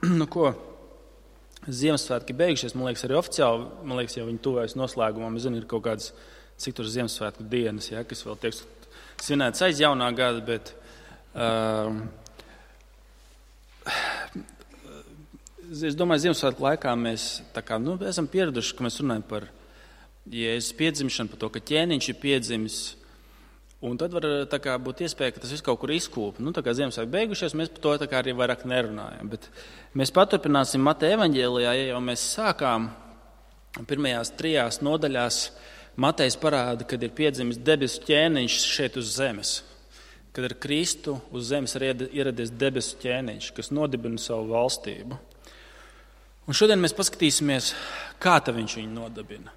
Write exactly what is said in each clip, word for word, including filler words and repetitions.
Nu ko, Ziemassvētki beigušies, man liekas, arī oficiāli, man liekas, jau viņi tuvojas noslēgumam. Es zinu, ir kaut kādas, cik tur Ziemassvētku dienas, ja, kas vēl tiek svinētas aiz jaunā gada, bet uh, es domāju, Ziemassvētku laikā mēs tā kā, nu, esam pieraduši, ka mēs runājam par Jēzus piedzimšanu, par to, ka ķēniņš ir piedzimis. Un tad var tā kā būt iespēja, ka tas viss kaut kur izkūp. Nu, tā kā Ziemassvētki beigušies, mēs par to tā kā arī vairāk nerunājam. Bet mēs paturpināsim Mateja evaņģēlijā, ja jau mēs sākām pirmajās trijās nodaļās. Matejs parāda, kad ir piedzimis debesu ķēniņš šeit uz zemes. Kad ar Kristu uz zemes ir ieradies debesu ķēniņš, kas nodibina savu valstību. Un šodien mēs paskatīsimies, kā tā viņš viņu nodibina.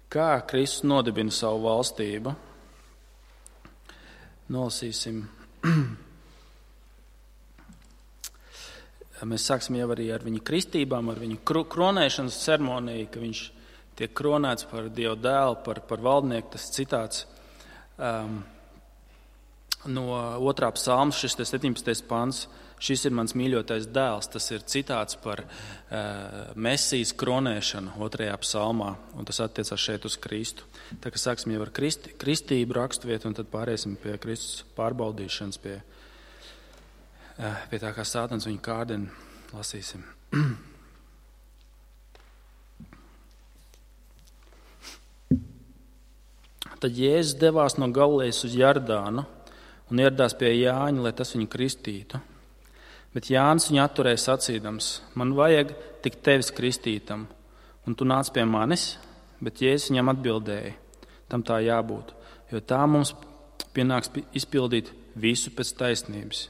Kā Kristus nodibina savu valstību. Nolasīsim. Mēs sāksim jau arī ar viņa kristībām, ar viņa kronēšanas ceremoniju, ka viņš tiek kronēts par Dieva dēlu, par, par valdnieku. Tas citāts um, no otrā psalma, šis septiņpadsmitais pants. Šis ir mans mīļotais dēls. Tas ir citāts par uh, Mesijas kronēšanu otrajā psalmā, un tas attiecās šeit uz Kristu. Tā kā sāksim jau ar kristi, kristību raksturvietu, un tad pāriesim pie Kristus pārbaudīšanas, pie, uh, pie tā, kā Sātans viņu kārdina. Lasīsim. Tad Jēzus devās no Galilejas uz Jordānu un ieradās pie Jāņa, lai tas viņu kristītu. Bet Jānis viņu atturēja sacīdams, man vajag tik tevis kristītam, un tu nāc pie manis, bet Jēzus viņam atbildēja, tam tā jābūt, jo tā mums pienāks izpildīt visu pēc taisnības.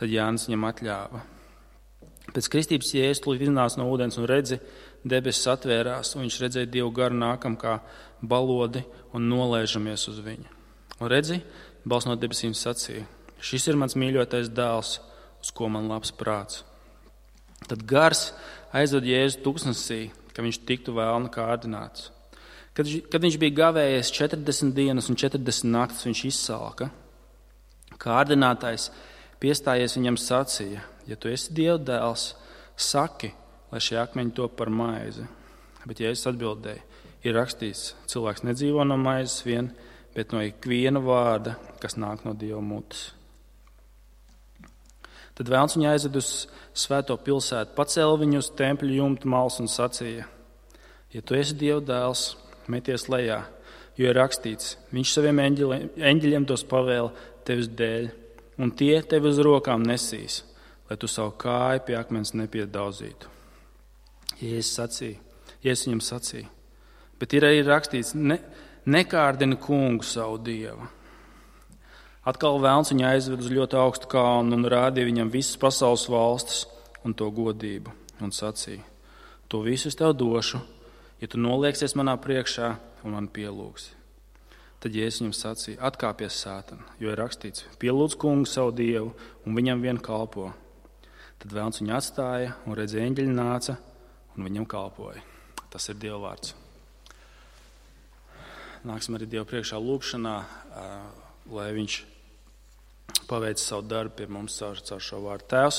Tad Jānis viņam atļāva. Pēc kristības Jēzus tūlīt iznāca no ūdens un redzi, debesis atvērās, un viņš redzēja Dievu garu nākam kā balodi un nolēžamies uz viņu. Un redzi, balss no debesīm sacīja, šis ir mans mīļotais dēls, uz ko man labs prāts. Tad gars aizved Jēzu tūkstnesī, ka viņš tiktu vēlna kārdināts. Kad, kad viņš bija gavējies četrdesmit dienas un četrdesmit naktis, viņš izsalka. Kārdinātājs piestājies viņam sacīja, ja tu esi Dieva dēls, saki, lai šie akmeņi top par maizi. Bet Jēzus atbildēja, ir rakstīts, cilvēks nedzīvo no maizes vien, bet no ikviena vārda, kas nāk no Dieva mutes. Tad vēlns viņu aizved uz svēto pilsētu, pacēla viņu uz tempļa jumta malas un sacīja, ja tu esi Dieva dēls, meties lejā, jo ir rakstīts, viņš saviem eņģeļiem, eņģeļiem tos pavēla tevis dēļ, un tie tevi uz rokām nesīs, lai tu savu kāju pie akmens nepiedauzītu. Jēzus sacīja, Jēzus viņam sacīja, bet ir arī rakstīts, ne, nekārdini kungu savu Dievu. Atkal vēlns viņu aizved uz ļoti augstu kalnu un rādīja viņam visas pasaules valstis un to godību un sacīja, to visu es tev došu, ja tu nolieksies manā priekšā un man pielūgsi. Tad Jēzus viņam sacīja, atkāpies Sātan, jo ir rakstīts, pielūdz kungu savu Dievu un viņam vien kalpo. Tad vēlns viņu atstāja un redzēja, eņģeļi nāca un viņam kalpoja. Tas ir Dieva vārds. Nāksim arī Dievu priekšā lūgšanā, lai viņš paveic savu darbu pie mums caur, caur šo vārdu. Tēvs,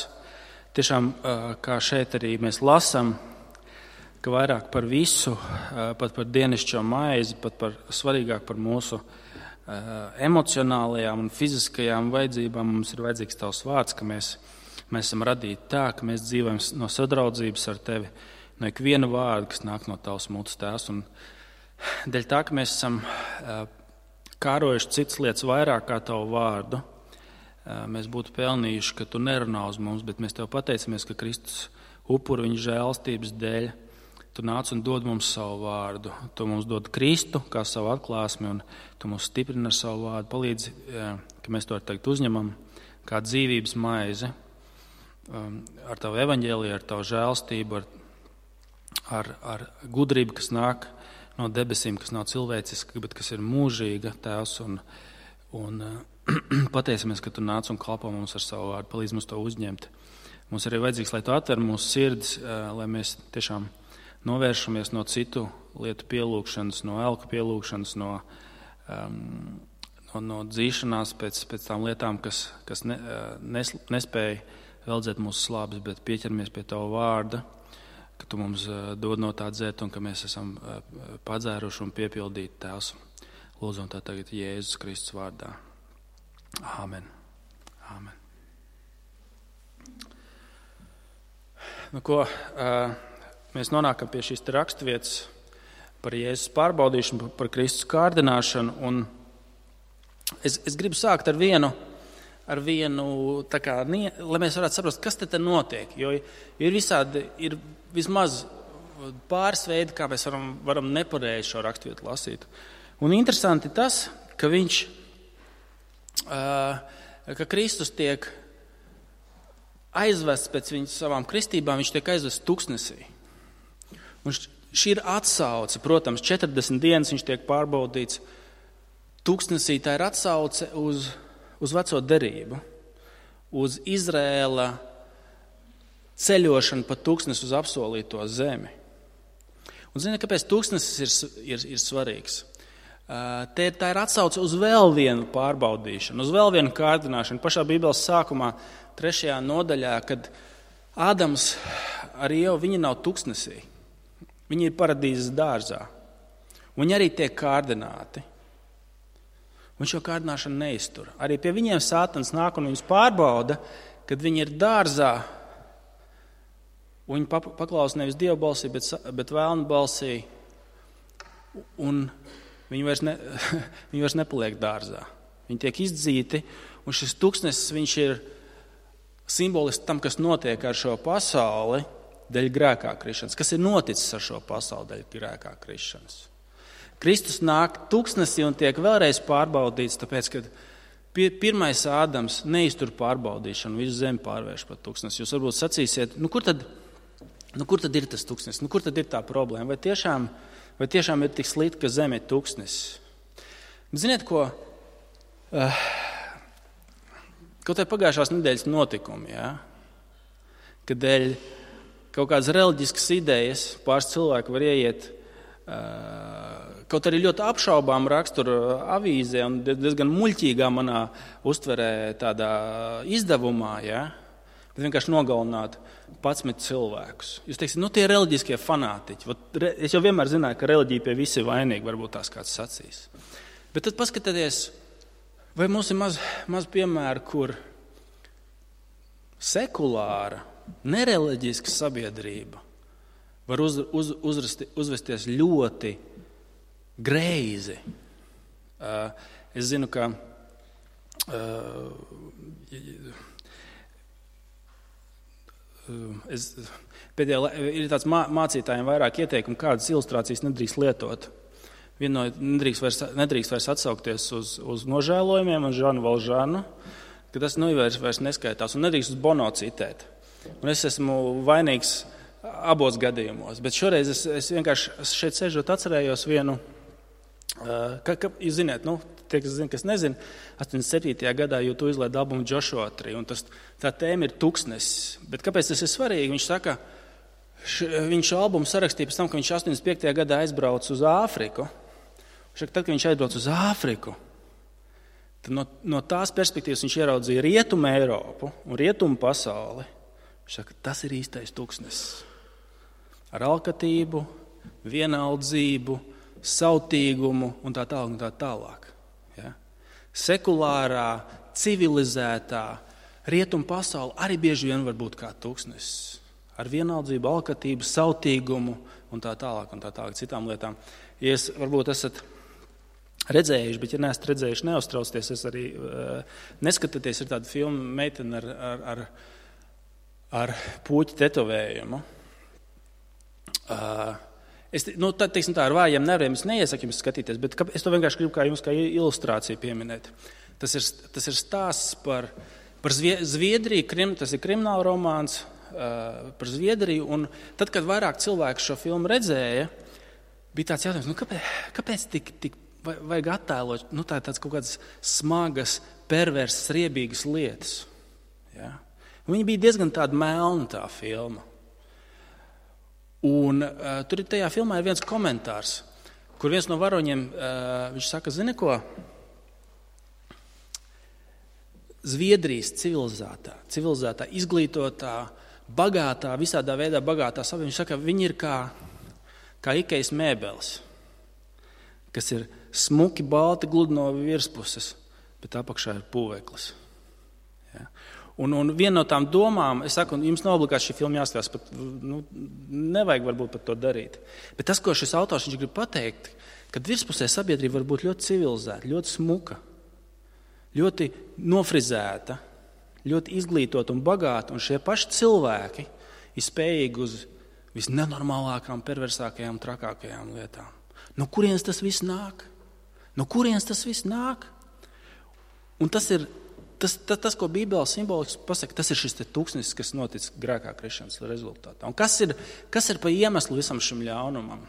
tiešām, kā šeit arī mēs lasām, ka vairāk par visu, pat par dienascho maizi, pat par svarīgāk par mūsu emocionālajām un fiziskajām vajadzībām mums ir vajadzīgs tavs vārds, ka mēs, mēs esam radīti tā, ka mēs dzīvojam no sadraudzības ar tevi, no ikviena vārda, kas nāk no tavas mutes, Tēvs. Un dēļ tā, ka mēs esam kārojuši citas lietas vairāk kā tavu vārdu, mēs būtu pelnījuši, ka tu nerunā uz mums, bet mēs tev pateicamies, ka Kristus upuru viņa žēlstības dēļ tu nāc un dod mums savu vārdu. Tu mums dod Kristu kā savu atklāsmi un tu mums stiprini ar savu vārdu. Palīdzi, ka mēs to tagad uzņemam kā dzīvības maizi ar tavu evaņģēliju, ar tavu žēlstību, ar, ar, ar gudrību, kas nāk no debesīm, kas nav cilvēciska, bet kas ir mūžīga, Tēvs, un, un pateicamies, ka tu nāc un kalpo mums ar savu vārdu. Palīdz mums to uzņemt. Mums arī vajadzīgs, lai tu atver mūsu sirdis, lai mēs tiešām novēršamies no citu lietu pielūgšanas, no elku pielūgšanas, no, um, no, no dzīšanās pēc, pēc tām lietām, kas, kas ne, nes, nespēja veldzēt mūsu slāpes, bet pieķeramies pie Tava vārda, ka Tu mums dod no tā dzert un ka mēs esam padzēruši un piepildīti, Tēvs. Lūdzam tā tagad Jēzus Kristus vārdā. Āmen. Āmen. Nu, ko, mēs nonākam pie šīs raksturvietas par Jēzus pārbaudīšanu, par Kristus kārdināšanu. Un es, es gribu sākt ar vienu, ar vienu tā kā, lai mēs varētu saprast, kas te te notiek. Jo ir visādi, ir vismaz pāris veidi, kā mēs varam, varam nepareizi šo raksturvietu lasīt. Un interesanti tas, ka viņš, ka Kristus tiek aizvests pēc viņas savām kristībām, viņš tiek aizvests tuksnesī. Un šī ir atsauce, protams, četrdesmit dienas viņš tiek pārbaudīts tuksnesī, tā ir atsauce uz, uz veco derību, uz Izrēla ceļošanu pa tuksnesi uz apsolīto zemi. Un zini, kāpēc tuksnesis ir, ir, ir svarīgs? Te, tā ir atsauce uz vēl vienu pārbaudīšanu, uz vēl vienu kārdināšanu. Pašā Bībeles sākumā, trešajā nodaļā, kad Ādams ar Ievu, viņi nav tuksnesī. Viņi ir paradīzes dārzā. Viņi arī tiek kārdināti. Un šo kārdināšanu neiztur. Arī pie viņiem Sātans nāk un viņus pārbauda, kad viņi ir dārzā. Viņi paklausa nevis Dieva balsī, bet, bet vēlna balsī. Un Viņi vairs, ne, viņi vairs nepaliek dārzā. Viņi tiek izdzīti, un šis tuksnesis viņš ir simbolisks tam, kas notiek ar šo pasauli dēļ grēkā krišanas. Kas ir noticis ar šo pasauli dēļ grēkā krišanas? Kristus nāk tuksnesī un tiek vēlreiz pārbaudīts, tāpēc, ka pirmais Ādams neiztur pārbaudīšanu, visu zemi pārvērš par tuksnesi. Jūs varbūt sacīsiet, nu kur tad, nu kur tad ir tas tuksnesis? Nu kur tad ir tā problēma? Vai tiešām Vai tiešām ir tik slikti, ka zeme ir tuksnesis? Ziniet, ko? Uh, kaut vai pagājušās nedēļas notikumi, ja? Kad dēļ kaut kādas reliģiskas idejas pāris cilvēki var ieiet uh, kaut arī ļoti apšaubām raksturu avīzē un diezgan muļķīgā manā uztverē tādā izdevumā, ja? Bet vienkārši nogalināt padsmit cilvēkus. Jūs teiksiet, nu tie reliģiskie fanātiķi. Es jau vienmēr zināju, ka reliģija pie visi vainīgi, varbūt tās kāds sacīs. Bet tad paskatieties, vai mums ir maz, maz piemēru, kur sekulāra, nereliģiska sabiedrība var uz, uz, uzrasti, uzvesties ļoti greizi. Uh, es zinu, ka uh, Es, pēdējā, ir tāds mā, mācītājiem vairāk ieteikumu, kādas ilustrācijas nedrīkst lietot. Viena no nedrīkst vairs, nedrīkst vairs atsaukties uz, uz nožēlojumiem un Žanu Valžanu, ka tas nu vairs, vairs neskaitās un nedrīkst uz Bono citēt. Un es esmu vainīgs abos gadījumos, bet šoreiz es, es vienkārši šeit sežot atcerējos vienu, ka, ka jūs ziniet, nu, tie, kas zina, kas nezina, astoņdesmit septītajā gadā YouTube izlaida albumu Joshua trīs, un tas, tā tēma ir tuksnesis. Bet kāpēc tas ir svarīgi? Viņš saka, š, viņš šo albumu sarakstīja pēc tam, ka viņš astoņdesmit piektajā gadā aizbrauca uz Āfriku. Viņš saka, tad, kad viņš aizbrauca uz Āfriku, tad no, no tās perspektīvas viņš ieraudzīja rietumu Eiropu un rietumu pasauli. Viņš saka, tas ir īstais tuksnesis. Ar alkatību, vienaldzību, sautīgumu un tā tālāk un tā tālāk. Ja? Sekulārā, civilizētā rietumu pasaule arī bieži vien var būt kā tuksnesis. Ar vienaldzību, alkatību, sautīgumu un tā tālāk un tā tālāk citām lietām. Ja es varbūt esat redzējuši, bet ja neesat redzējuši, neuztraucieties, es arī uh, neskatieties, ir tāda filma meitene ar, ar, ar, ar puķu tetovējumu. Uh, Es, nu, tā, teiksim, tā ar vājiem nerviem es neiesaku jums skatīties, bet es to vienkārši gribu kā jums kā ilustrāciju pieminēt. Tas ir, tas ir stāsts par, par Zviedriju, krim, tas ir krimināla romāns uh, par Zviedriju, un tad, kad vairāk cilvēku šo filmu redzēja, bija tāds jautājums, nu, kāpēc, kāpēc tik, tik vajag attēlot nu, tā, tāds kaut kādas smagas, perversas, riebīgas lietas. Ja? Viņa bija diezgan tāda melna tā filma. Un uh, tur tajā filmā ir viens komentārs, kur viens no varoņiem, uh, viņš saka, zini ko, Zviedrijas civilizētā, civilizētā, izglītotā, bagātā, visādā veidā bagātā sabiedrība. Viņš saka, viņi ir kā, kā Ikejas mēbeles, kas ir smuki balti gludi no virspuses, bet apakšā ir pūveklis. Ja? Un, un viena no tām domām, es saku, jums nav obligāti šī filma jāskatās, pat, nu, nevajag varbūt pat to darīt. Bet tas, ko šis autors viņš grib pateikt, kad virspusē sabiedrība var būt ļoti civilizēta, ļoti smuka, ļoti nofrizēta, ļoti izglītota un bagāta, un šie paši cilvēki ir spējīgi uz visnenormālākām, perversākajām, trakākajām lietām. No kurienes tas viss nāk? No kurienes tas viss nāk? Un tas ir tas, tas, tas ko Bībele simboliski pasaka, tas ir šis te tūkstnesis, kas notic grēkā krišanas rezultātā. Un kas ir, kas ir pa iemeslu visam šim ļaunumam?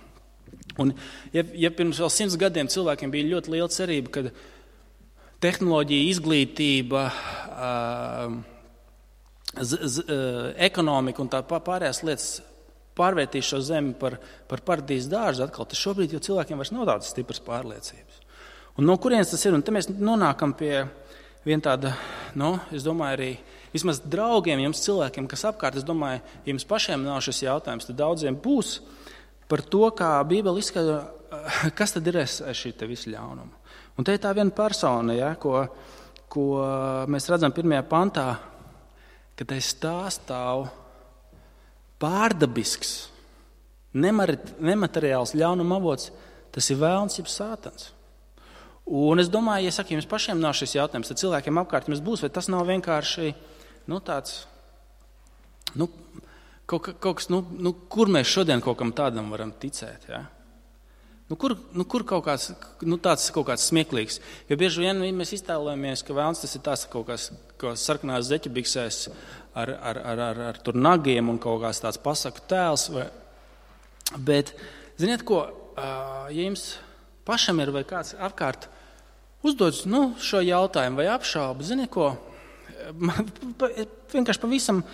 Un ja, ja pirms vēl simts gadiem cilvēkiem bija ļoti liela cerība, kad tehnoloģija, izglītība, z, z, ekonomika un tā pārējās lietas pārvērtīs šo zemi par, par paradīzes dārzu atkal, tas šobrīd jau cilvēkiem vairs nav tādas stipras pārliecības. Un no kurienes tas ir? Un te mēs nonākam pie viena tāda, nu, es domāju arī, vismaz draugiem, jums cilvēkiem, kas apkārt, es domāju, ja jums pašiem nav šis jautājums, tad daudziem būs par to, kā Bībele izskaidro, kas tad ir šī te visu ļaunumu. Un te ir tā viena persona, ja, ko, ko mēs redzam pirmajā pantā, ka tai stāv pārdabisks, nemateriāls ļaunuma avots, tas ir vēlns jeb sātans. Un es domāju, ja saku, jums pašiem nav šis jautājums, tad cilvēkiem apkārt jums būs, vai tas nav vienkārši, nu, tāds, nu, kaut, kaut kas, nu, nu, kur mēs šodien kaut kam tādam varam ticēt, ja? Nu, kur, nu, kur kaut kāds, nu, tāds kaut kāds smieklīgs? Jo bieži vien mēs iztēlojamies, ka vēlns tas ir tās kaut kāds, kaut sarkanās zeķebiksēs ar, ar, ar, ar, ar tur nagiem un kaut kāds tāds pasaku tēls. Vai... Bet, ziniet ko, ja jums pašam ir vai kāds apkārt uzdodas nu, šo jautājumu vai apšaubu, ziniet ko, man vienkārši pavisam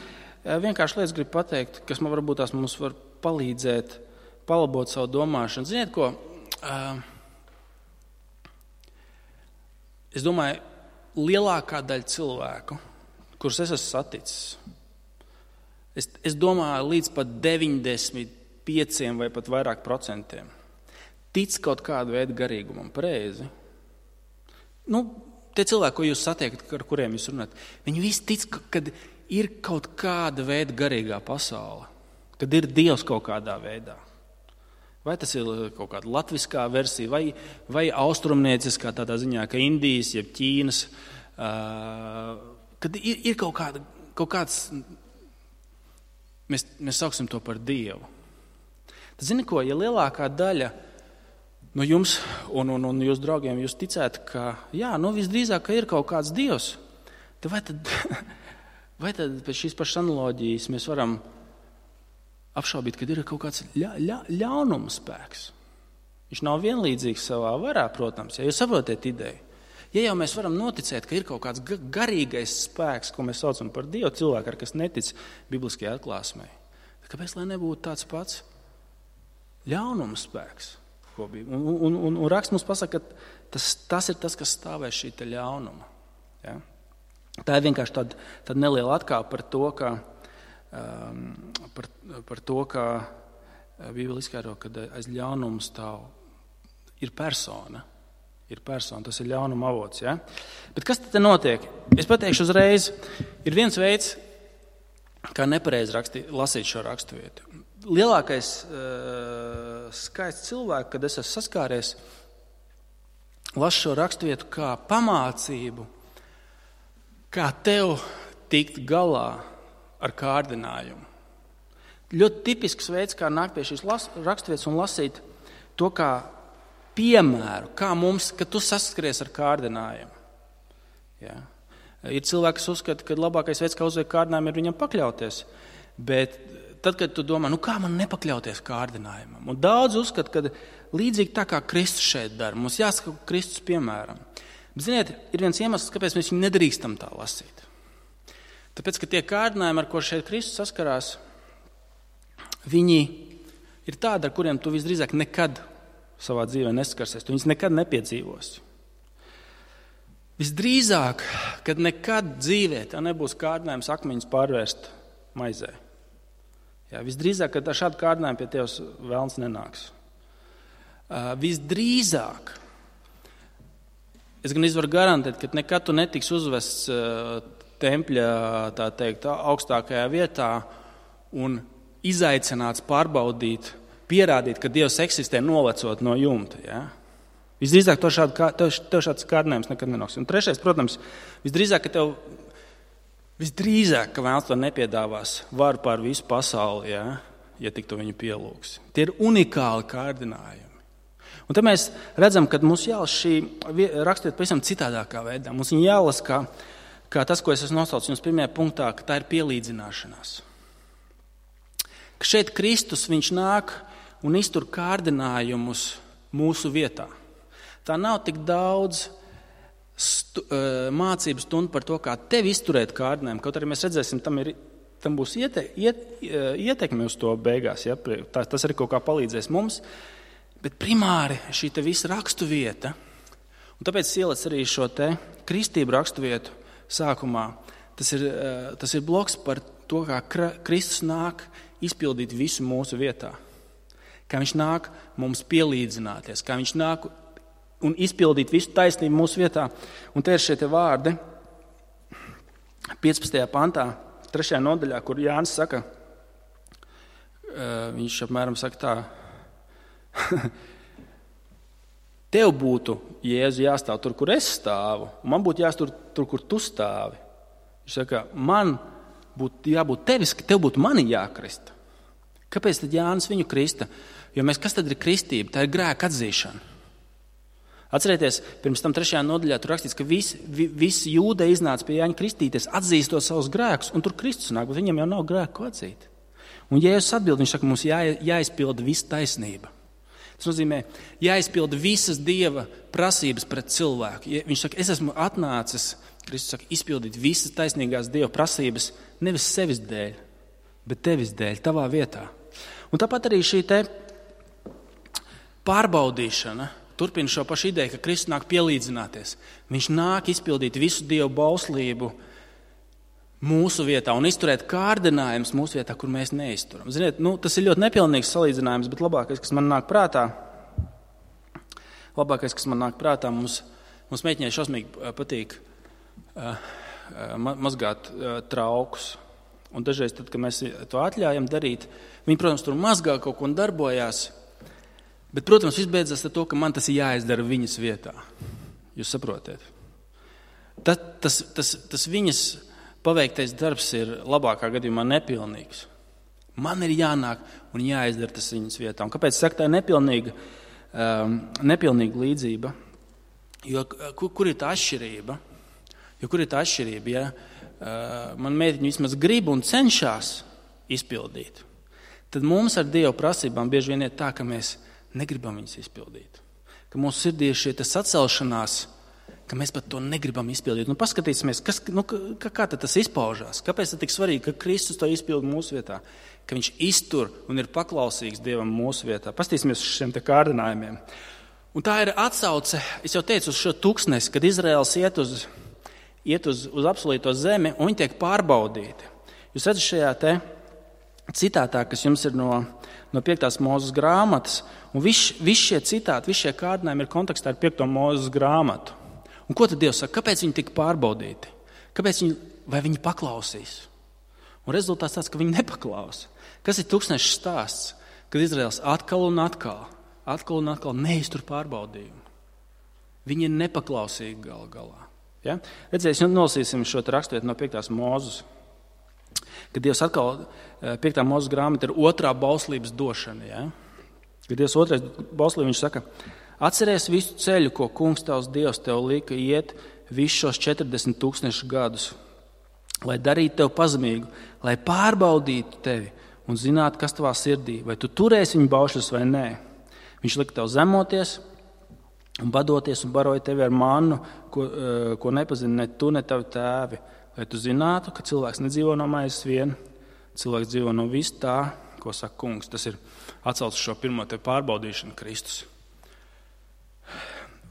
vienkārši lietas gribu pateikt, kas man varbūt tās mums var palīdzēt palabot savu domāšanu. Ziniet ko, es domāju, lielākā daļa cilvēku, kurus es esmu saticis, es, es domāju līdz pat deviņdesmit pieciem vai pat vairāk procentiem, tic kaut kādu veidu garīgumam, pareizi. Nu, tie cilvēki, ko jūs satiekat, ar kuriem jūs runājat, viņi visi tic, kad ir kaut kāda veida garīgā pasaule, kad ir Dievs kaut kādā veidā. Vai tas ir kaut kāda latviskā versija, vai, vai austrumnieciskā tādā ziņā, ka Indijas, jeb Ķīnas, uh, kad ir, ir kaut, kāda, kaut kāds, mēs, mēs sauksim to par Dievu. Tad zini ko, ja lielākā daļa no jums un, un, un jūs draugiem jūs ticētu, ka jā, nu visdrīzāk, ka ir kaut kāds Dievs, tad vai tad, vai tad pēc šīs pašas analoģijas mēs varam apšaubīt, kad ir kaut kāds ļa, ļa, ļaunuma spēks. Viņš nav vienlīdzīgs savā varā, protams, ja jūs saprotiet ideju. Ja jau mēs varam noticēt, ka ir kaut kāds garīgais spēks, ko mēs saucam par Dievu, cilvēku, ar kas netic bibliskajai atklāsmei, kāpēc lai nebūtu tāds pats ļaunuma spēks? Ko bija? Un, un, un, un raksts mums pasaka, ka tas, tas ir tas, kas stāvēs šī te ļaunuma. Ja? Tā ir vienkārši tāda, tāda neliela atkāpe par to, ka Um, par, par to, ka Bībele izskaidro, ka aiz ļaunuma stāv ir persona, ir persona, tas ir ļaunuma avots. Ja? Bet kas tad notiek? Es pateikšu uzreiz, ir viens veids, kā nepareizi raksti, lasīt šo raksturvietu. Lielākais uh, skaits cilvēku, kad es esmu saskāries, lasu šo raksturvietu kā pamācību, kā tev tikt galā ar kārdinājumu. Ļoti tipisks veids, kā nākt pie šīs raksturvietas un lasīt to kā piemēru, kā mums, ka tu saskaries ar kārdinājumu. Ja. Ir cilvēki, kas uzskata, ka labākais veids, kā uzveikt kārdinājumu, ir viņam pakļauties. Bet tad, kad tu domā, nu kā man nepakļauties kārdinājumam? Un daudz uzskata, ka līdzīgi tā kā Kristus šeit dara, mums jāsaka Kristus piemēram. Bet, ziniet, ir viens iemesls, kāpēc mēs viņu nedrīkstam tā lasīt. Tāpēc, ka tie kārdinājumi, ar ko šeit Kristus saskarās, viņi ir tādi, ar kuriem tu visdrīzāk nekad savā dzīvē neskarsies. Tu viņus nekad nepiedzīvosi. Visdrīzāk, kad nekad dzīvē tā nebūs kārdinājums akmeņus pārvērst maizē. Jā, visdrīzāk, kad ar šādu kārdinājumu pie tevis velns nenāks. Uh, visdrīzāk, es gan varu garantēt, ka nekad tu netiks uzvests uh, tempļa, tā teikt, augstākajā vietā un izaicināts pārbaudīt, pierādīt, ka Dievs eksistē nolecot no jumta. Ja? Visdrīzāk to šādu, tev, tev šāds kārdinājums nekad nenāks. Un trešais, protams, visdrīzāk, ka tev, visdrīzāk, ka vēlns to nepiedāvās varu pār visu pasauli, ja, ja tik tu viņu pielūgs. Tie ir unikāli kārdinājumi. Un te mēs redzam, ka mums jālas šī rakstiet pavisam citādākā veidā. Mums viņa jālas kā, kā tas, ko es esmu nosaucis jums pirmajā punktā, ka tā ir pielīdzināšanās. Ka šeit Kristus viņš nāk un iztur kārdinājumus mūsu vietā. Tā nav tik daudz stu, uh, mācības stundu par to, kā tevi izturēt kārdinājumu. Kaut arī mēs redzēsim, tam, ir, tam būs iete, iet, ietekme uz to beigās. Ja? Tā, tas arī kaut kā palīdzēs mums. Bet primāri šī te visa rakstuvieta, un tāpēc ieliec arī šo te kristību rakstuvietu sākumā, tas ir, uh, tas ir bloks par to, kā Kristus nāk izpildīt visu mūsu vietā. Kā viņš nāk mums pielīdzināties, kā viņš nāk un izpildīt visu taisnību mūsu vietā. Un te ir šie te vārdi piecpadsmitajā pantā, trešajā nodaļā, kur Jānis saka, viņš apmēram saka tā, tev būtu, Jēzu, jāstāv tur, kur es stāvu, un man būtu jāstāv tur, kur tu stāvi. Viņš saka, man būtu jābūt tevis, ka tev būtu mani jākrista. Kāpēc tad Jānis viņu krista? Jo mēs, kas tad ir kristība? Tā ir grēka atzīšana. Atcerieties, pirms tam trešajā nodaļā tur rakstīts, ka visi, visi jūde iznāca pie Jāņa kristīties, atzīstot savus grēkus, un tur Kristus nāk, bet viņam jau nav grēku ko atzīt. Un Jēzus atbild, viņš saka, mums jā, jāizpilda visa taisnība. Tas nozīmē, jāizpilda visas Dieva prasības pret cilvēku. Viņš saka, es esmu atnācis, Kristus saka, izpildīt visas taisnīgās Dieva prasības, nevis sevis dēļ, bet tevis dēļ, tavā vietā. Un tāpat arī šī te pārbaudīšana turpina šo pašu ideju, ka Kristus nāk pielīdzināties. Viņš nāk izpildīt visu Dievu bauslību mūsu vietā un izturēt kārdinājumus mūsu vietā, kur mēs neizturam. Ziniet, nu, tas ir ļoti nepilnīgs salīdzinājums, bet labākais, kas man nāk prātā, labākais, kas man nāk prātā, mums, mums meitiņai šausmīgi patīk uh, uh, mazgāt uh, traukus. Un dažreiz, tad, kad mēs to atļājam darīt, viņi, protams, tur mazgā kaut ko un darbojās, bet, protams, viss beidzas ar to, ka man tas ir jāizdara viņas vietā. Jūs saprotiet? Tas, tas, tas, tas viņas paveiktais darbs ir labākā gadījumā nepilnīgs. Man ir jānāk un jāizdara tas viņas vietā. Un kāpēc saka, tā ir nepilnīga, um, nepilnīga līdzība? Jo kur, kur ir tā atšķirība? Jo kur ir tā atšķirība, ja uh, man meitiņa vismaz grib un cenšas izpildīt, tad mums ar Dievu prasībām bieži vien ir tā, ka mēs negribam viņas izpildīt. Ka mūsu sirdī ir šie sacelšanās, ka mēs pat to negribam izpildīt. Nu, paskatīsimies, kas, nu, kā, kā tas izpaužās. Kāpēc tas tik svarīgi, ka Kristus to izpilda mūsu vietā? Ka viņš iztur un ir paklausīgs Dievam mūsu vietā. Paskatīsimies uz šiem te kārdinājumiem. Un tā ir atsauce, es jau teicu, uz šo tuksnesi, kad Izraels iet uz, iet uz, uz apsolīto zemi un viņi tiek pārbaudīti. Jūs redzat šajā te citātā, kas jums ir no, no piektās Mūzes grāmatas, un viss vis šie citāti, viss šie kārdinājumi ir kontekstā ar piekto Mūzes grāmatu. Un ko tad Dievs saka? Kāpēc viņi tika pārbaudīti? Kāpēc viņi, vai viņi paklausīs? Un rezultāts tāds, ka viņi nepaklausa. Kas ir tūkstneša stāsts? Kad Izraels atkal un atkal, atkal un atkal neiztur pārbaudījumu. Viņi ir nepaklausīgi gal galā. Ja? Redzēs, nolasīsim šo raksturvietu no piektās Mūzes. Kad Dievs atkal, piektā Mūzes grāmata ir otrā bauslības došana. Ja? Kad Dievs otrais bauslība, viņš saka, atceries visu ceļu, ko kungs tavs Dievs tev lika iet visus šos četrdesmit tūkstošus gadus, lai darītu tev pazemīgu, lai pārbaudītu tevi un zinātu, kas tavā sirdī, vai tu turēsi viņu baušļus vai nē. Viņš lika tev zemoties un badoties un baroja tevi ar mannu, ko, ko nepazina ne tu, ne tavi tēvi, lai tu zinātu, ka cilvēks nedzīvo no maizes vien, cilvēks dzīvo no vis tā, ko saka kungs. Tas ir atsaucis šo pirmo te pārbaudīšanu Kristus.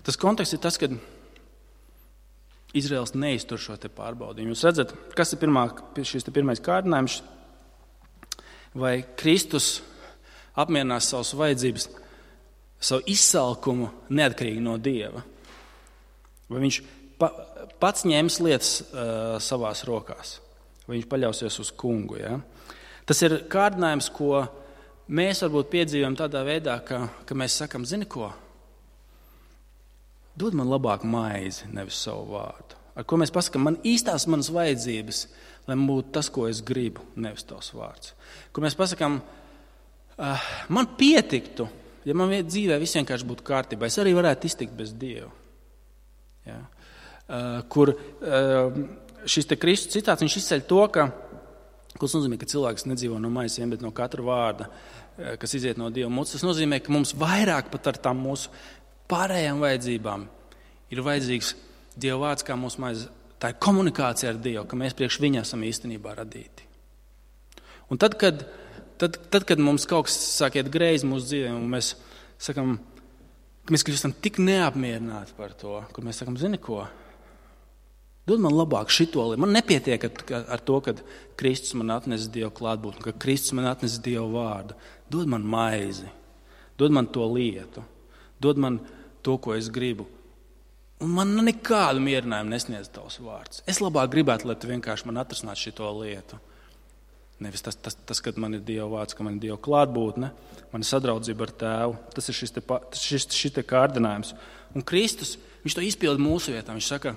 Tas konteksts ir tas, ka Izraels neiztur šo te pārbaudījumu. Jūs redzat, kas ir pirmā, šis te pirmais kārdinājums? Vai Kristus apmierinās savas vajadzības, savu izsalkumu neatkarīgi no Dieva? Vai viņš pa, pats ņems lietas uh, savās rokās? Vai viņš paļausies uz kungu? Ja? Tas ir kārdinājums, ko mēs varbūt piedzīvojam tādā veidā, ka, ka mēs sakam, zini ko? Dod man labāk maizi, nevis savu vārdu. Ar ko mēs pasakām, man īstās manas vajadzības, lai man būtu tas, ko es gribu, nevis tavs vārds. Kur mēs pasakām, uh, man pietiktu, ja man dzīvē viss vienkārši būtu kārtībā, es arī varētu iztikt bez Dieva. Ja? Uh, kur uh, šis te Kristus citāts, viņš izceļ to, ka, kas nozīmē, ka cilvēks nedzīvo no maizes, bet no katra vārda, uh, kas iziet no Dieva mutes. Tas nozīmē, ka mums vairāk pat ar tām mūsu pārējām vajadzībām ir vajadzīgs Dieva vārds kā mūsu maize. Tā ir komunikācija ar Dievu, ka mēs priekš viņa esam īstenībā radīti. Un tad, kad, tad, tad, kad mums kaut kas sāk iet greizi mūsu dzīvē, un mēs sakam, ka mēs kļūstam tik neapmierināti par to, kur mēs sakam, zini ko, dod man labāk šito lietu. Man nepietiek ar to, ka Kristus man atnes Dievu klātbūtni, ka Kristus man atnes Dievu vārdu. Dod man maizi, dod man to lietu, dod man to, ko es gribu. Un man nekādu mierinājumu nesniedz tavs vārds. Es labāk gribētu, lai tu vienkārši man atrasinātu šito lietu. Nevis tas, tas, tas, kad man ir Dieva vārds, ka man ir Dieva klātbūtne, man ir sadraudzība ar Tēvu. Tas ir šis te, šis, šis te kārdinājums. Un Kristus, viņš to izpilda mūsu vietā. Viņš saka,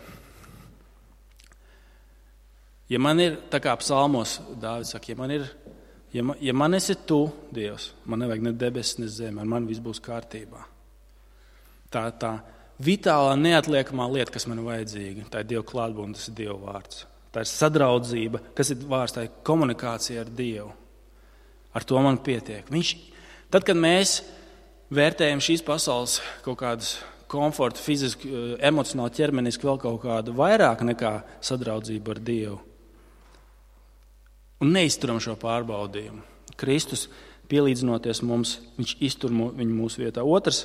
ja man ir, tā kā psalmos Dāvids saka, ja man ir, ja man, ja man esi tu, Dievs, man nevajag ne debesis, ne zeme, man viss būs kārtībā. Tā, tā vitālā neatliekamā lieta, kas man ir vajadzīga, tā ir Dieva klātbūtne, tas ir Dieva vārds. Tā ir sadraudzība, kas ir vārds, tā ir komunikācija ar Dievu. Ar to man pietiek. Viņš, tad, kad mēs vērtējam šīs pasaules kaut kādas komforta, fiziski, emocionāli, ķermeniski vēl kaut kādu vairāk nekā sadraudzību ar Dievu un neizturam šo pārbaudījumu, Kristus pielīdzinoties mums, viņš iztur viņu mūsu vietā. Otrs,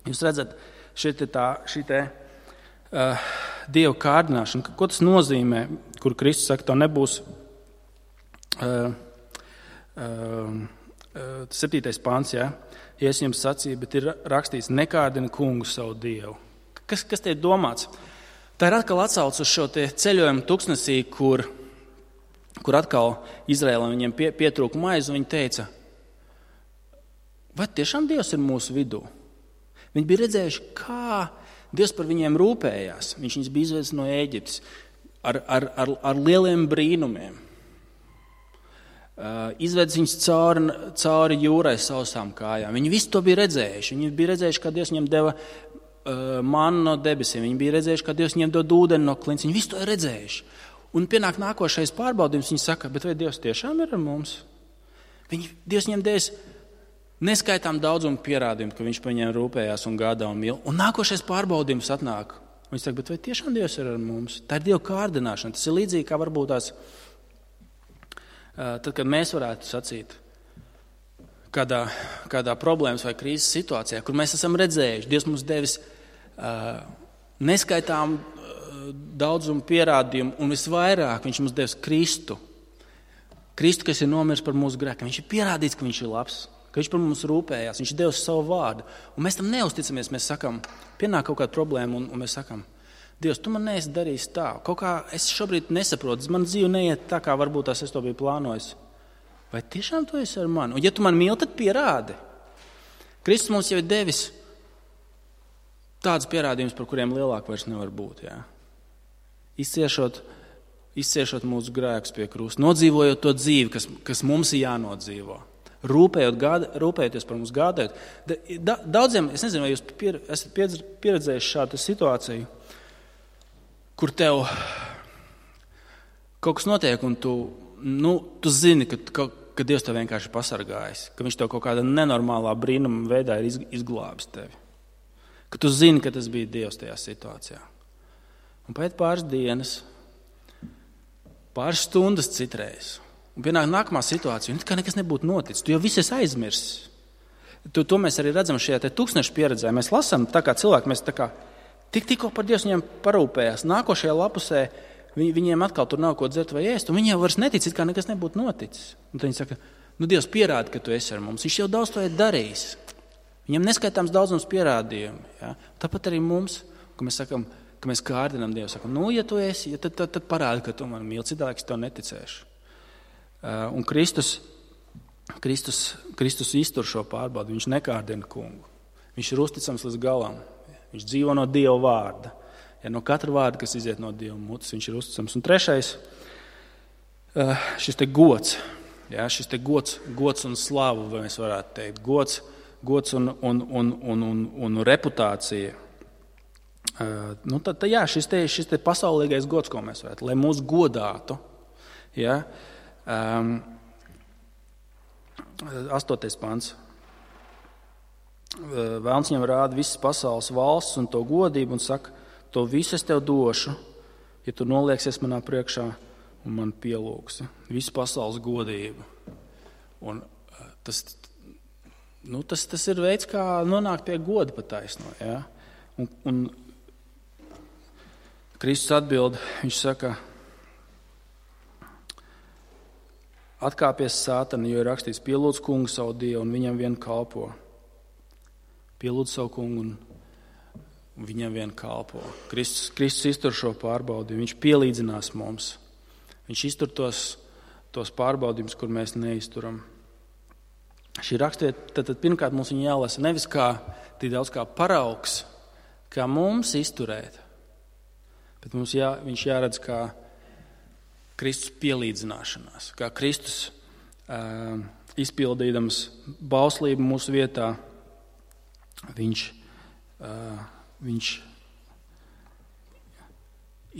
jūs redzat, šī tā, šī te uh, Dieva kārdināšana, ko tas nozīmē, kur Kristus saka, to nebūs uh, uh, septītais pāns, ja? Ja es jums sacīju, bet ir rakstīts, nekārdina kungu savu Dievu. Kas, kas te ir domāts? Tā ir atkal atsauc uz šo te ceļojumu tuksnesī, kur, kur atkal Izraēlam viņiem pie, pietrūka maizi, un viņi teica, vai tiešām Dievs ir mūsu vidū? Viņi bija redzējuši, kā Dievs par viņiem rūpējās. Viņš viņus bija izvedis no Ēģiptes ar, ar, ar, ar lieliem brīnumiem. Uh, izvedis viņus cauri, cauri jūrai sausām kājām. Viņi visu to bija redzējuši. Viņi bija redzējuši, kā Dievs viņiem deva uh, mannu no debesīm. Viņi bija redzējuši, kā Dievs viņiem dod ūdeni no klints. Viņi visu to ir redzējuši. Un pienāk nākošais pārbaudījums. Viņi saka, bet vai Dievs tiešām ir ar mums? Viņi, Dievs viņiem devis neskaitām daudzumu pierādījumu, ka viņš par viņiem rūpējās un gādā un mīl. Un nākošais pārbaudījums atnāk. Viņš saka, bet vai tiešām Dievs ir ar mums? Tā ir Dieva kārdināšana. Tas ir līdzīgi, kā varbūt tās, tad, kad mēs varētu sacīt kādā, kādā problēmas vai krīzes situācijā, kur mēs esam redzējuši, Dievs mums devis uh, neskaitām uh, daudzumu pierādījumu, un visvairāk viņš mums devis Kristu. Kristu, kas ir nomiris par mūsu grēkiem. Viņš ir pierādīts, ka viņš ir labs, ka viņš par mums rūpējās, viņš devis savu vārdu. Un mēs tam neusticamies, mēs sakam, pienāk kaut kāda problēma, un, un mēs sakam, Dievs, tu man neesi darījis tā. Kaut kā es šobrīd nesaprotu, man dzīve neiet tā, kā varbūt tās es to biju plānojis. Vai tiešām tu esi ar mani? Un ja tu man mīli, tad pierādi. Kristus mums jau ir devis tādus pierādījumus, par kuriem lielāk vairs nevar būt. Jā. Izciešot, izciešot mūsu grēkus pie krusta, nodzīvojot to dzīvi, kas, kas mums ir jānodzīvo. Rūpējot, gāda, rūpējoties par mums gādājot. Da, daudziem, es nezinu, vai jūs pier, esat pieredzējuši šādu situāciju, kur tev kaut kas notiek, un tu, nu, tu zini, ka, ka, ka Dievs tev vienkārši pasargājis, ka viņš tev kaut kādā nenormālā brīnuma veidā ir izglābis tevi. Ka tu zini, ka tas bija Dievs tajā situācijā. Un pēc pāris dienas, pāris stundas citreiz, un pienāk nākamā situācija, un kā nekas nebūtu noticis. Tu jau viss esi aizmirsis. To, to mēs arī redzam šajā te tūkstnešu pieredzē. Mēs lasām, tā kā cilvēki, mēs tā kā Tik, tikko par Dievs viņiem parūpējās. Nākošajā lapusē vi, viņiem atkal tur nav ko dzert vai ēst, un viņi jau vairs netic, it kā nekas nebūtu noticis. Un tad viņi saka, nu Dievs pierāda, ka tu esi ar mums. Viņš jau daudz to ir darījis. Viņam neskaitāms daudzums pierādījumi. Ja? Tāpat arī mums, ka mēs sakam, ka mēs kārdinām Dievu, sakam, nu, ja tu esi, ja tad, tad, tad parādi, ka tu man mīli, citādi es tev neticēšu. Uh, un Kristus, Kristus, Kristus iztur šo pārbaudu, viņš nekārdina kungu. Viņš ir uzticams līdz galam. Viņš dzīvo no Dieva vārda. Ja no katra vārda, kas iziet no Dieva mutes, viņš ir uzticams. Un trešais, uh, šis te gods. Ja, šis te gods, gods un slavu, vai mēs varētu teikt. Gods, gods un, un, un, un, un, un reputācija. Uh, nu tad, tad, jā, šis te, šis te pasaulīgais gods, ko mēs varētu, lai mūs godātu. Ja, um, astotais pants. Uh, Vēlns viņam rāda visas pasaules valsts un to godību un saka, to visu es tev došu, ja tu nolieksies manā priekšā un man pielūgsi. Visu pasaules godību. Un uh, tas, nu, tas, tas ir veids, kā nonākt pie goda pataisno. Ja? Un, un Kristus atbild, viņš saka, atkāpies Sātana, jo ir rakstīts, pielūdz kungu savu Dievu un viņam vien kalpo. Pielūdz savu kungu un viņam vien kalpo. Kristus, Kristus iztur šo pārbaudījumu, viņš pielīdzinās mums. Viņš iztur tos, tos pārbaudījumus, kur mēs neizturam. Šī rakstiet, tad, tad pirmkārt mums viņa jālasa nevis kā, tik daudz kā paraugs, kā mums izturēt, bet mums jā, viņš jāredz kā Kristus pielīdzināšanās, kā Kristus uh, izpildīdams bauslību mūsu vietā, viņš, uh, viņš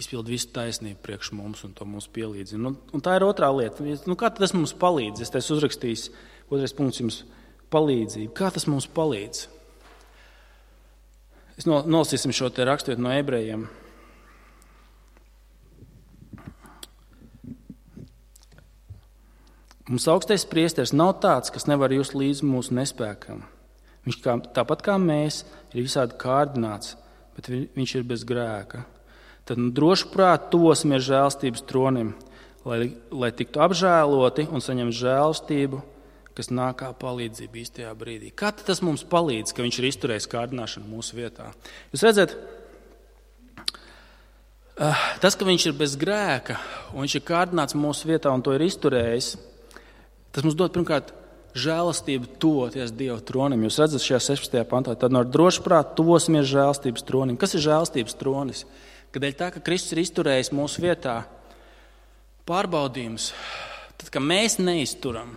izpild visu taisnību priekš mums un to mums pielīdzina. Un, un tā ir otrā lieta. Nu, kā tas mums palīdz? Es te esmu uzrakstījis, otrais punkts jums palīdzību. Kā tas mums palīdz? Es nolasīsim šo te raksturvietu no ebrejiem. Mums augstais priesteris nav tāds, kas nevar just līdz mūsu nespēkam. Viņš kā, tāpat kā mēs ir visādi kārdināts, bet viņš ir bez grēka. Tad nu, droši prāt tosimies žēlstības tronim, lai, lai tiktu apžēloti un saņemt žēlstību, kas nāk kā palīdzība īstajā brīdī. Kā tas mums palīdz, ka viņš ir izturējis kārdināšanu mūsu vietā? Jūs redzat, tas, ka viņš ir bez grēka un viņš ir kārdināts mūsu vietā un to ir izturējis, tas mums dod pirmkārt žēlastību toties Dieva tronim. Jūs redzat šajā sešpadsmitajā pantā, tad no droši prāt tosimies žēlastības tronim. Kas ir žēlastības tronis? Kādēļ tā, ka Kristus ir izturējis mūsu vietā pārbaudījums, tad, ka mēs neizturam,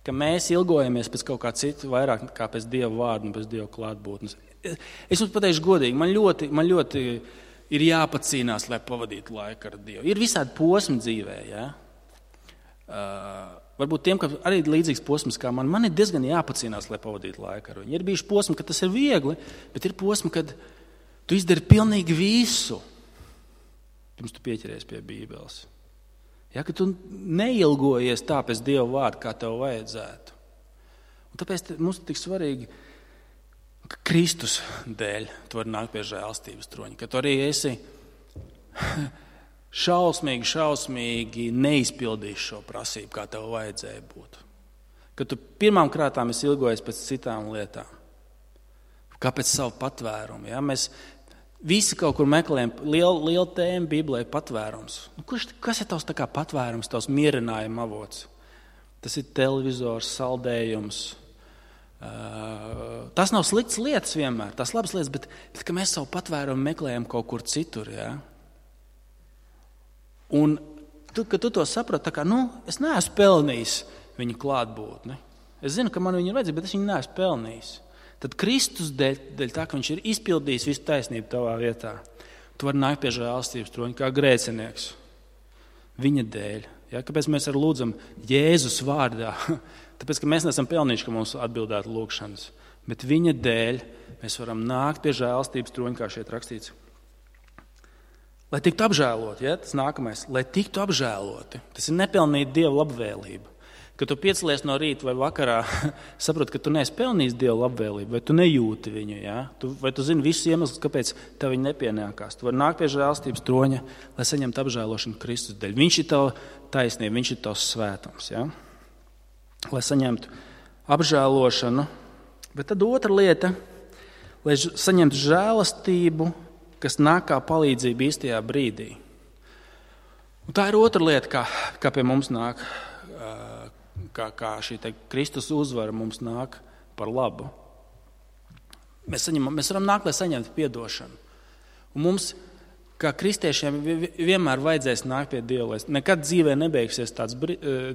ka mēs ilgojamies pēc kaut kā citu vairāk kā pēc Dieva vārda un pēc Dieva klātbūtnes. Es jums pateikšu godīgi, man ļoti, man ļoti ir jāpacīnās, lai pavadītu laiku ar Dievu. Ir visādi posmi dzīvē, ja? Uh, varbūt tiem, ka arī līdzīgs posms kā man, man ir diezgan jāpacīnās, lai pavadītu laiku ar viņu. Ir bijuši posmi, ka tas ir viegli, bet ir posmi, kad tu izdari pilnīgi visu, pirms tu pieķeries pie Bībeles. Ja, ka tu neilgojies tā pēc Dieva vārda, kā tev vajadzētu. Un tāpēc mums ir tik svarīgi, ka Kristus dēļ tu vari nākt pie žēlstības troņa, ka tu arī esi šausmīgi, šausmīgi neizpildīsi šo prasību, kā tev vajadzēja būt. Ka tu pirmām krātām esi ilgojies pēc citām lietām, kā pēc savu patvērumu. Ja? Mēs visi kaut kur meklējam, liela, liela tēma Bībelē ir patvērums. Nu, kurš, kas ir tavs tā kā patvērums, tavs mierinājuma avots? Tas ir televizors, saldējums. Uh, tas nav slikts lietas vienmēr, tas labas lietas, bet, bet ka mēs savu patvērumu meklējam kaut kur citur, ja? Un, tu, kad tu to saprati, tā kā, nu, es neesmu pelnījis viņa klātbūtni. Es zinu, ka man viņa ir vajadzīga, bet es viņu neesmu pelnījis. Tad Kristus dēļ, dēļ tā, ka viņš ir izpildījis visu taisnību tavā vietā, tu vari nākt pie žēlstības troņa kā grēcinieks. Viņa dēļ. Ja? Kāpēc mēs arī lūdzam Jēzus vārdā? Tāpēc, ka mēs neesam pelnījuši, ka mums atbildētu lūgšanas. Bet viņa dēļ mēs varam nākt pie žēlstības troņa, kā šeit rakstīts. Lai tiktu apžēloti, ja? Tas nākamais, lai tiktu apžēloti. Tas ir nepelnīt Dieva labvēlību. Kad tu piecelies no rīta vai vakarā, saproti, ka tu neesi pelnījis Dieva labvēlību, vai tu nejūti viņu, ja? tu, vai tu zini visus iemeslus, kāpēc tev viņa nepienākās. Tu vari nākt pie žēlstības troņa, lai saņemtu apžēlošanu Kristus dēļ. Viņš ir tava taisnība, viņš ir tavs svētums, ja? Lai saņemtu apžēlošanu. Bet tad otra lieta, lai saņemtu žēlastību, kas nāk kā palīdzība īstajā brīdī. Un tā ir otra lieta, kā, kā pie mums nāk. Kā, kā šī te Kristus uzvara mums nāk par labu. Mēs, saņemam, mēs varam nākt, lai saņemtu piedošanu. Un mums, kā kristiešiem, vienmēr vajadzēs nākt pie Dieva. Nekad dzīvē nebeigsies tāds,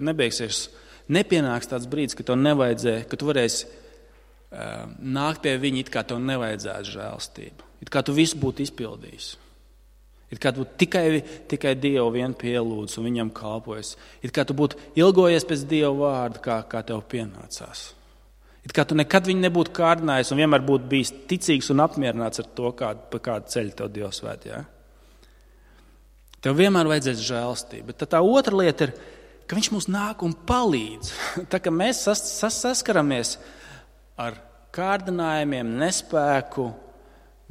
nebeigsies, nepienāks tāds brīdis, ka tev nevajadzēja, ka tu varēsi uh, nākt pie viņa, it kā tev nevajadzētu žēlstību. It kā tu visu būtu izpildījis. It kā tu tikai, tikai Dievu vien pielūdz un viņam kalpojas. It kā tu būtu ilgojies pēc Dieva vārda, kā, kā tev pienācās. It kā tu nekad viņu nebūtu kārdinājis un vienmēr būtu bijis ticīgs un apmierināts ar to, kādu, pa kādu ceļu tev Dievs vēd. Ja? Tev vienmēr vajadzēs žēlstība. Bet tā otra lieta ir, ka viņš mums nāk un palīdz. Tā kā mēs sas, sas, saskaramies ar kārdinājumiem, nespēku,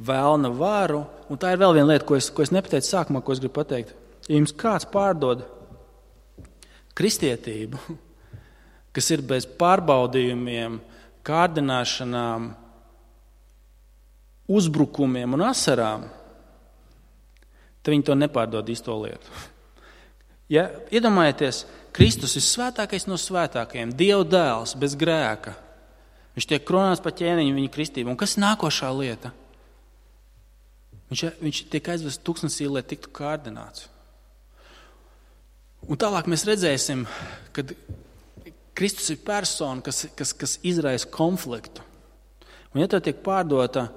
vēlna varu, un tā ir vēl viena lieta, ko es, ko es nepateicu sākumā, ko es gribu pateikt. Ja jums kāds pārdod kristietību, kas ir bez pārbaudījumiem, kārdināšanām, uzbrukumiem un asarām, tad viņi to nepārdod īsto lietu. Ja, iedomājieties, Kristus ir svētākais no svētākajiem, Dieva dēls bez grēka. Viņš tiek kronāts pa ķēniņu viņa kristību. Un kas ir nākošā lieta? Viņš, viņš tiek aizvests tūkstnesī, lai tiktu kārdināts. Un tālāk mēs redzēsim, kad Kristus ir persona, kas, kas, kas izraisa konfliktu. Un ja tev tiek pārdota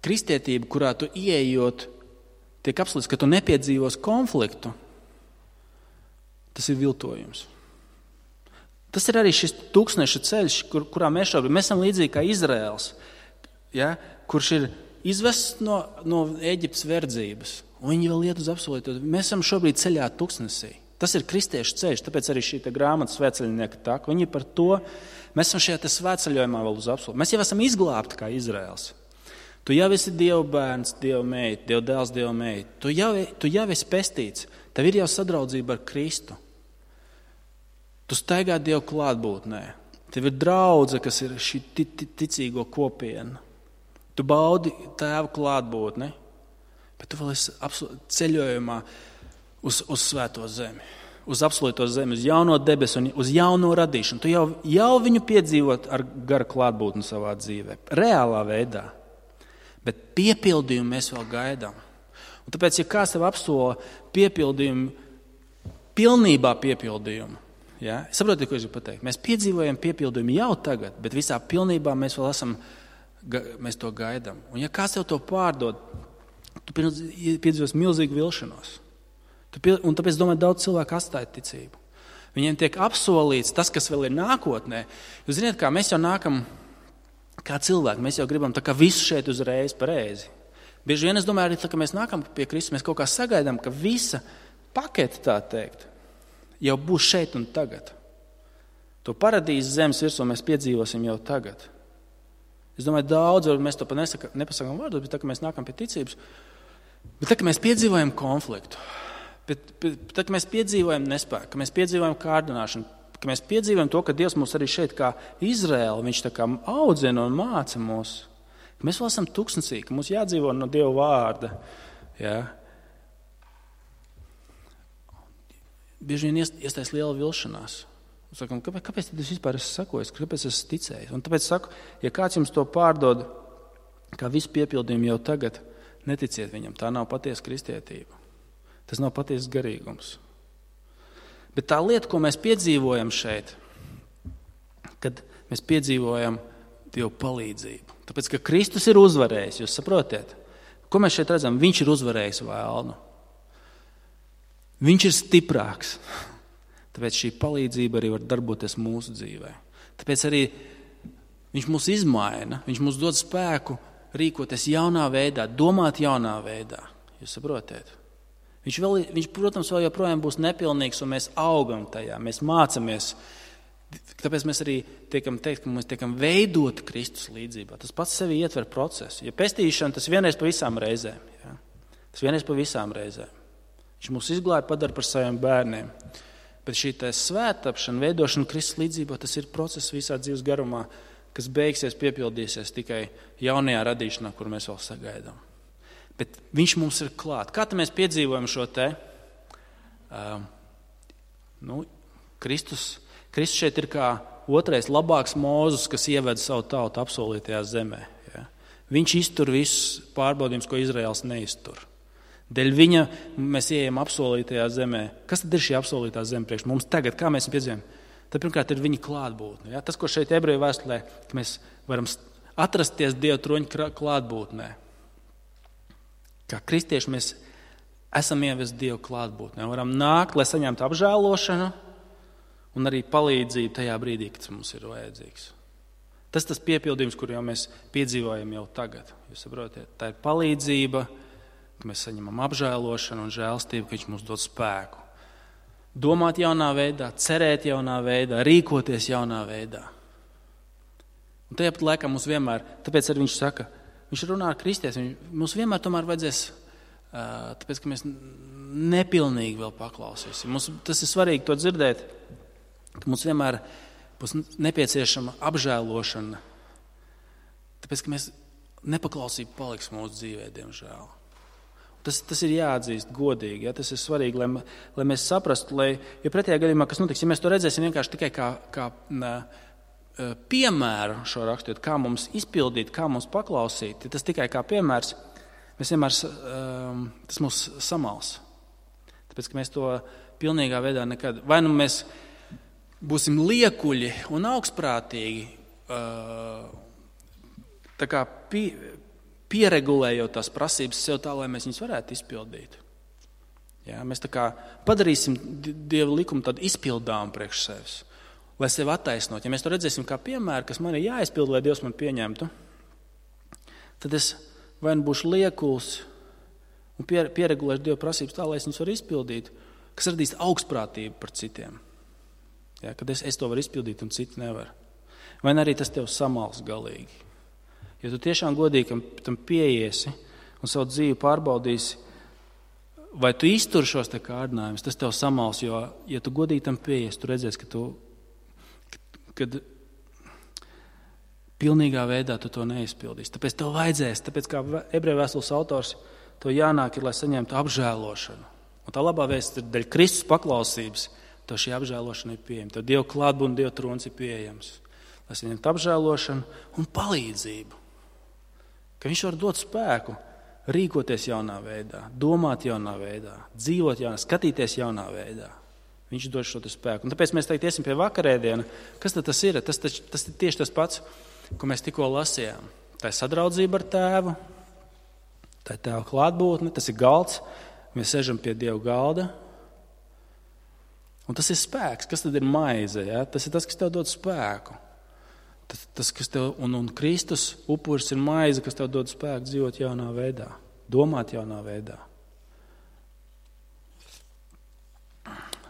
kristietība, kurā tu ieejot, tiek apslīts, ka tu nepiedzīvos konfliktu, tas ir viltojums. Tas ir arī šis tūkstneša ceļš, kur, kurā mēs šobrīd, mēs esam līdzīgi kā Izraels, ja, kurš ir izvests no, no Ēģiptes verdzības, un viņi vēl iet uz apsolīto. Mēs esam šobrīd ceļā tūkstnesī. Tas ir kristiešu ceļš, tāpēc arī šī grāmata svētceļnieka tak. Viņi par to, mēs esam šajā svētceļojumā vēl uz apsolīto. Mēs jau esam izglābti kā Izraels. Tu jau esi Dieva bērns, Dieva meita, Dieva dēls, Dieva meita. Tu jau, tu jau esi pestīts. Tev ir jau sadraudzība ar Kristu. Tu staigā Dieva klātbūtnē. Tev ir draudze, kas ir šī ticīgo kopiena. Tu baudi Tēva klātbūtni, bet tu vēl esi ceļojumā uz, uz svēto zemi, uz apsolīto zemi, uz jauno debesu un uz jauno radīšanu. Tu jau, jau viņu piedzīvot ar gara klātbūtni savā dzīvē, reālā veidā, bet piepildījumu mēs vēl gaidām. Un tāpēc, ja kāds tev apsola piepildījumu, pilnībā piepildījumu, ja? Saprotiet, ko es gribu pateikt? Mēs piedzīvojam piepildījumu jau tagad, bet visā pilnībā mēs vēl esam mēs to gaidām. Un ja kāds tev to pārdod, tu piedzīvos milzīgu vilšanos. Tu pie, un tāpēc, domāju, daudz cilvēku atstāja ticību. Viņiem tiek apsolīts tas, kas vēl ir nākotnē. Jūs ziniet, kā mēs jau nākam, kā cilvēki, mēs jau gribam tā kā visu šeit uzreiz pareizi. Bieži vien es domāju, arī tā, ka mēs nākam pie Kristus, mēs kaut kā sagaidām, ka visa pakete, tā teikt, jau būs šeit un tagad. To paradīzes zemes virsmu mēs piedzīvosim jau tagad. Es domāju, daudz, varbūt mēs to pat nesaka, nepasakām vārdos, bet tā, ka mēs nākam pie ticības, bet tā, ka mēs piedzīvojam konfliktu, bet, bet tā, ka mēs piedzīvojam nespēku, ka mēs piedzīvojam kārdināšanu, ka mēs piedzīvojam to, ka Dievs mūs arī šeit kā Izraēla, viņš tā kā audzina un māca mūs, ka mēs vēl esam tūkstnesī, ka mums jādzīvo no Dieva vārda. Ja? Bieži vien iestājas liela vilšanās. Sakam, kāpēc, kāpēc tad es vispār esmu sakojis, kāpēc es esmu ticējis? Un tāpēc saku, ja kāds jums to pārdod, kā visu piepildījumu jau tagad, neticiet viņam, tā nav patiesa kristietība. Tas nav patiesas garīgums. Bet tā lieta, ko mēs piedzīvojam šeit, kad mēs piedzīvojam Dievu palīdzību. Tāpēc, ka Kristus ir uzvarējis, jūs saprotiet? Ko mēs šeit redzam? Viņš ir uzvarējis vēlnu. Viņš ir stiprāks. Tāpēc šī palīdzība arī var darboties mūsu dzīvē. Tāpēc arī viņš mūs izmaina, viņš mūs dod spēku rīkoties jaunā veidā, domāt jaunā veidā. Jūs saprotiet? Viņš, vēl, viņš, protams, vēl joprojām būs nepilnīgs, un mēs augam tajā, mēs mācamies. Tāpēc mēs arī tiekam teikt, ka mēs tiekam veidoti Kristus līdzībā. Tas pats sevi ietver procesu. Ja pestīšana, tas vienreiz pa visām reizēm. Ja? Tas vienreiz pa visām reizēm. Viņš mūs izglāja, padara par saviem bērniem. Bet šī tā svētapšana, veidošana Kristus līdzībā, tas ir process visā dzīves garumā, kas beigsies, piepildīsies tikai jaunajā radīšanā, kur mēs vēl sagaidām. Bet viņš mums ir klāt. Kā tad mēs piedzīvojam šo te? Uh, nu, Kristus, Kristus šeit ir kā otrais labāks Mūzes, kas ieved savu tautu apsolītajā zemē. Ja? Viņš iztur visus pārbaudījumus, ko Izraels neiztur. Dēļ viņa mēs ieejam apsolītajā zemē. Kas tad ir šī apsolītā zeme priekš mums tagad? Kā mēs viņu piedzīvojam? Tad pirmkārt ir viņa klātbūtne. Ja? Tas, ko šeit ebreju vēstulē, ka mēs varam atrasties Dieva troņa klātbūtnē. Kā kristieši mēs esam ievesti Dieva klātbūtnē. Varam nākt, lai saņemtu apžēlošanu un arī palīdzību tajā brīdī, kad tas mums ir vajadzīgs. Tas tas piepildījums, kur jau mēs piedzīvojam jau tagad. Jūs saprotiet, tā ir palīdzība, ka mēs saņemam apžēlošanu un žēlstību, ka viņš mums dod spēku. Domāt jaunā veidā, cerēt jaunā veidā, rīkoties jaunā veidā. Un tajā pat laikā mums vienmēr, tāpēc arī viņš saka, viņš runā ar kristiešiem, mums vienmēr tomēr vajadzēs, tāpēc, ka mēs nepilnīgi vēl paklausīsim. Mums, tas ir svarīgi to dzirdēt, ka mums vienmēr būs nepieciešama apžēlošana, tāpēc, ka mēs nepaklausība paliks mūsu dzīvē, diemžēl. Tas, tas ir jāatzīst godīgi, ja? Tas ir svarīgi, lai, lai mēs saprastu, lai, ja pretējā gadījumā, kas notiks, ja mēs to redzēsim vienkārši tikai kā, kā ne, piemēru šo rakstot, kā mums izpildīt, kā mums paklausīt, ja tas tikai kā piemērs, mēs vienmēr, tas mūs samals. Tāpēc, ka mēs to pilnīgā veidā nekad, vai nu mēs būsim liekuļi un augstprātīgi, tā kā pie, pieregulējot tās prasības sev tā, lai mēs viņus varētu izpildīt. Ja, mēs tā kā padarīsim Dieva likumu tādu izpildām priekš sevis, lai sevi attaisnot. Ja mēs to redzēsim kā piemēru, kas man ir jāizpild, lai Dievs man pieņemtu, tad es vai nu būšu liekuls un pieregulēšu Dieva prasības tā, lai es viņus varu izpildīt, kas radīs augstprātību par citiem. Ja, kad es, es to varu izpildīt un citi nevar. Vai arī tas tev samals galīgi. Ja tu tiešām godīgi tam pieiesi un savu dzīvi pārbaudīsi, vai tu izturi šos te kārdinājumus, tas tev samals, jo, ja tu godīgi tam pieiesi, tu redzēsi, ka tu, kad pilnīgā veidā tu to neizpildīsi. Tāpēc tev vajadzēs, tāpēc kā ebreju vēstules autors, to jānāk ir, lai saņemtu apžēlošanu. Un tā labā vēsts ir daļa Kristus paklausības, tev šī apžēlošana ir pieejama. Tev Dieva klātbūtne, Dieva trons ir pieejams. Lai saņemtu apžēlošanu un palīdzību. Ka viņš var dot spēku, rīkoties jaunā veidā, domāt jaunā veidā, dzīvot jaunā, skatīties jaunā veidā. Viņš dod šo spēku. Un tāpēc mēs tagad iesim pie vakarēdiena. Kas tad tas ir? Tas, tas, tas ir tieši tas pats, ko mēs tikko lasījām. Tā ir sadraudzība ar tēvu, tā ir tēva klātbūtne, tas ir galds, mēs sežam pie Dieva galda. Un tas ir spēks. Kas tad ir maize? Ja? Tas ir tas, kas tev dod spēku. Tas, tas, kas tev, un, un Kristus upuris ir maize, kas tev dod spēku dzīvot jaunā veidā, domāt jaunā veidā.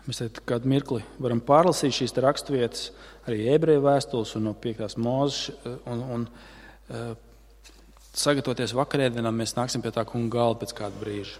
Mēs tad kādu mirkli varam pārlasīt šīs raksturvietas, arī ebreju vēstules un no piektās Mūzes, un, un uh, sagatavoties vakarēdienām, mēs nāksim pie tā kunga galda pēc kāda brīža.